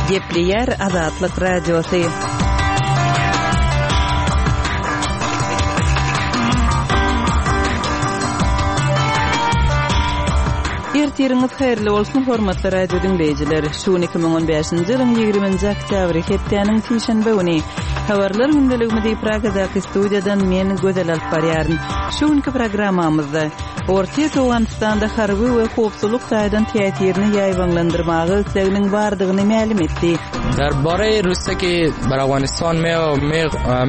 Gepleýär Azatlyk Radiosy. Ertiriňiz haýyrly bolsun, hormatly radio diňleýjiler! Şu gün 2015-nji ýylyň 20-nji oktýabry, hepdäniň sişenbe güni. Habarlar gündeligimizi Pragadaky studiýadan men, Gözel alyp barýaryn. Şu günki programmamyzda, Orsýet Owganystanda harby we howpsuzlyk taýdan täsirini ýaýbaňlandyrmaga isleginiň bardygyny mälim etdi. در باره روسیه که بر افغانستان می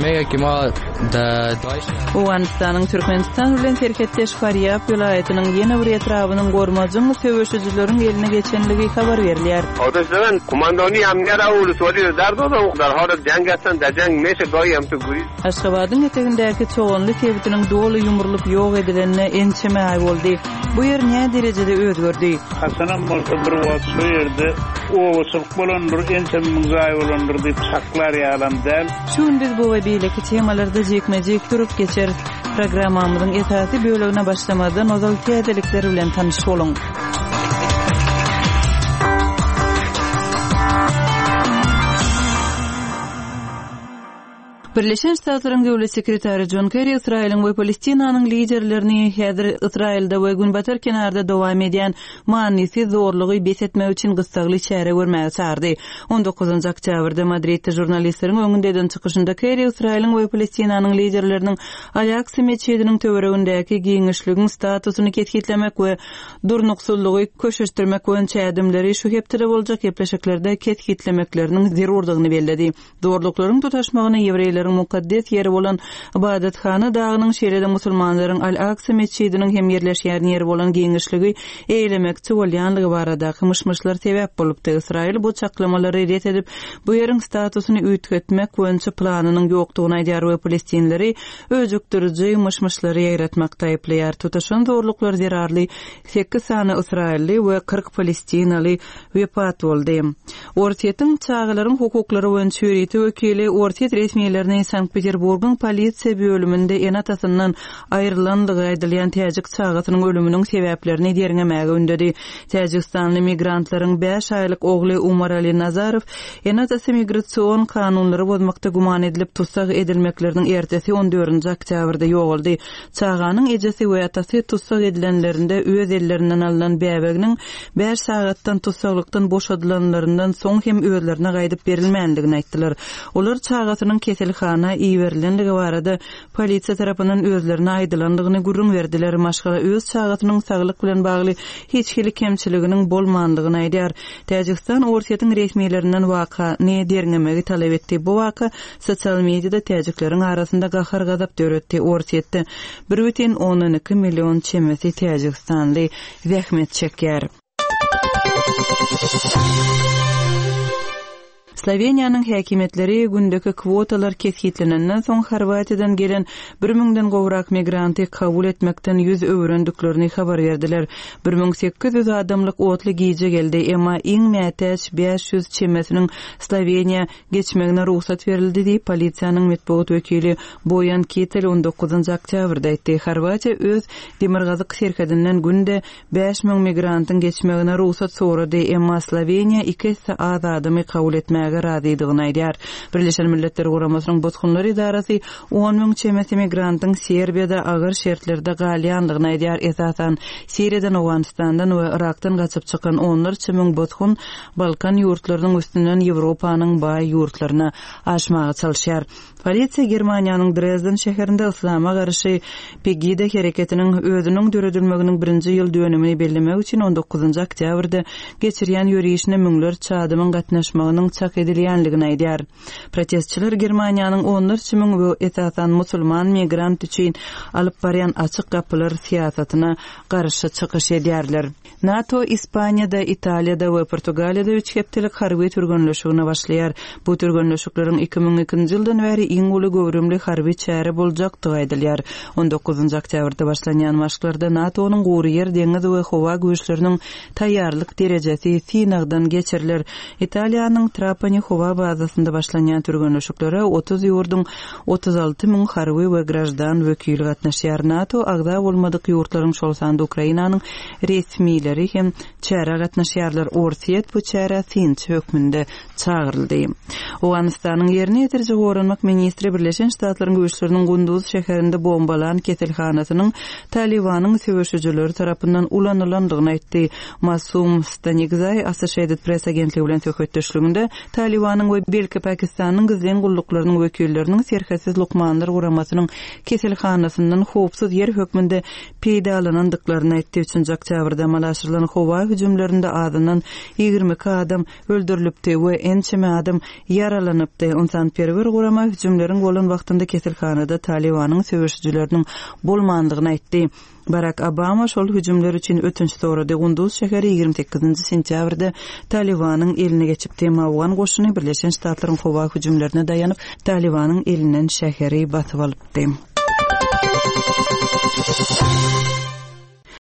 میگه که ما داعش Owganystanyň Türkmenistan bilen serhetdeş Farýab welaýatynyň ýene bir etrabynyň gormajyň söweşijileriň eline geçenligi habar berilýär. آتش زدن قماندانی امنیت را ولسوالی را در دادن در حال جنگ هستند در جنگ میشه گاهی هم تو گریز Aşgabadyň etegindäki Çoganly sebitiniň doly ýumrulyp ýok edilenine ençeme aý boldy. Bu ýer näderejede özgerdi? Haçanam bolsa bir wagt şu ýerde obaçylyk bolandyr, ençeme müň jaý bolandyr diýip çaklar ýalam däl. Şu gün biz bu we beýleki temalarda jikme-jik durup geçeris. Programmamyzyň esasy bölegine başlamazdan ozal täzelikler bilen tanyş boluň. Birleşen Ştatlaryň Döwlet sekretary Jon Kerri Ysraýylyň we Palestinanyň liderlerini häzir Ysraýylda we Günbatar kenarda dowam edýän manysyz zorlugy bes etmek üçin gyssagly çäre görmäge çagyrdy. On dokuzynjy oktýabrda Madridde žurnalistleriň öňünde eden çykyşynda Kerri Ysraýylyň we Palestinanyň liderleriniň Al-Aksa metjidiniň töweregindäki giňişligiň statusyny kesgitlemek we durnuksyzlygy köşeşdirmek boýunça ädimleri şu hepdede boljak gepleşiklerde kesgitlemekleriniň zerurdygyny belledi. Zorluklaryň tutaşmagyna ýewreýleriň mukaddes ýeri bolan Ybadathana dagynyň, şeýle-de musulmanlaryň Al-Aksa metjidiniň hem ýerleşýän ýeri bolan giňişligi eýelemekçi bolýanlygy baradaky myş-myşlar sebäp bolupdy. Ysraýyl bu çaklamalary ret edip, bu ýeriň statusyny üýtgetmek boýunça planynyň ýokdugyny aýdýar we palestinleri öjükdiriji myş-myşlary ýaýratmakda aýyplaýar. Tutaşan zorluklar zerarly sekiz sany ysraýylly we 40 palestinaly wepat boldy. Orsýetiň çagalaryň hukuklary boýunça ýörite wekili orsýet resmilerini Sankt-Peterburgyň polisiýa bölüminde ene-atasyndan aýrylandygy aýdylýan täjik çagasynyň ölüminiň sebäplerini derňemäge ündedi. Täjigistanly migrantlaryň bäş aýlyk ogly Umarali Nazarow ene-atasy migrasion kanunlary bozmakda güman edilip tussag edilmekleriniň ertesi on dördünji oktýabrda ýogaldy. Çaganyň ejesi we atasy tussag edilenlerinde öz ellerinden alnan bäbeginiň bäş sagatdan tussaglykdan boşadylanlaryndan soň hem özlerine gaýdyp berilmändigini aýtdylar. Olar çagasynyň keselhana iberilenligi barada polisiýa tarapyndan özlerine aýdylandygyny gürrüň berdiler. Maşgala öz çagasynyň saglyk bilen bagly hiç hili kemçiliginiň bolmandygyny aýdýar. Täjigistan Orsýetiň resmilerinden wakany derňemegi talap etdi. Bu waka Sosial mediada täjikleriň arasynda gahar-gazap döretdi. Orsýetde 1,2 million çemesi täjigistanly zähmet çekýär. Sloweniýanyň häkimiýetleri gündeki kwotalar kesgitlenenden soň Horwatiýadan gelen bir müňden gowrak migranty kabul etmekden ýüz öwürendiklerini habar berdiler. 1800 adamlyk otly gije geldi, emma iň mätäç 500 çemesiniň Sloweniýa geçmegine rugsat berildi diýip, polisiýanyň metbugat wekili Boýan Kitel on dokuzynjy oktýabrda aýtdy. Horwatiýa öz demirgazyk serhedinden günde 5000 migrantyň geçmegine rugsat sorady, emma Sloweniýa iki esse az adamy kabul etmäge razydygyny aýdýar. Birleşen Milletler Guramasynyň Bosgunlar edarasy 10 müň çemesi migrantyň Serbiýada agyr şertlerde galýandygyny aýdýar, esasan, Siriýadan, Owganystandan we Yrakdan gaçyp çykan onlarça müň bosgun Balkan ýurtlarynyň üstünden Ýewropanyň baý ýurtlaryna aşmaga çalyşýar. Polisiýa Germaniýanyň Drezden şäherinde yslama garşy Pegida hereketiniň özüniň döredilmeginiň birinji ýyl dönümini bellemek üçin on dokuzynjy oktýabrda geçirýän ýörişine müňlerçe adamyň gatnaşmagynyň çak edilýänligini aýdýar. Protestçiler Germaniýanyň onlarça müň we esasan musulman migrant üçin alyp barýan açyk gapylar syýasatyna garşy çykyş edýärler. NATO Ispaniýada, Italiýada we Portugaliýada üç hepdelik harby türgenleşigine başlaýar. Bu türgenleşikleriň 2002-nji ýyldan bäri iň uly göwrümli harby çäre boljakdygy aýdylýar. On dokuzynjy oktýabrda başlanýan maşklarda NATO-nyň gury ýer, deňiz we howa güýçleriniň taýýarlyk derejesi synagdan geçiriler. Italiýanyň Trapani. Trapani howa bazasynda başlanýan türgenleşiklere 30 ýurduň 36 müň harby we graždan wekili gatnaşýar. NATO agza bolmadyk ýurtlaryň, şol sanda Ukrainanyň resmileri hem çärä gatnaşýarlar. Orsýet bu çärä synçy hökmünde çagyryldy. Owganystanyň ýerine ýetiriji goranmak ministri Birleşen Ştatlaryň güýçleriniň Gunduz şäherinde bombalan keselhanasynyň Talybanyň söweşijileri tarapyndan ulanylandygyny aýtdy. Masum Stanikzaý Associated Press agentligi bilen söhbetdeşliginde Talybanyň we belki Pakistanyň gizlin gulluklarynyň wekilleriniň Serhetsiz lukmanlar guramasynyň keselhanasyndan howpsuz ýer hökmünde peýdalanandyklaryny aýtdy. Üçünji oktýabrda amala aşyrylan howa hüjümlerinde azyndan 22 adam öldürilipdi we ençeme adam ýaralanypdy. Ynsanperwer gurama hüjümleriň bolan wagtynda keselhanada Talybanyň söweşijileriniň bolmandygyny aýtdy. Barak Obama şol hüjümler üçin ötünç sorady. Gunduz şäheri 28-nji sentýabrda Talybanyň eline geçipdi. Emma owgan goşuny Birleşen Ştatlaryň howa hüjümlerine daýanyp, Talybanyň elinden şäheri basyp alypdy.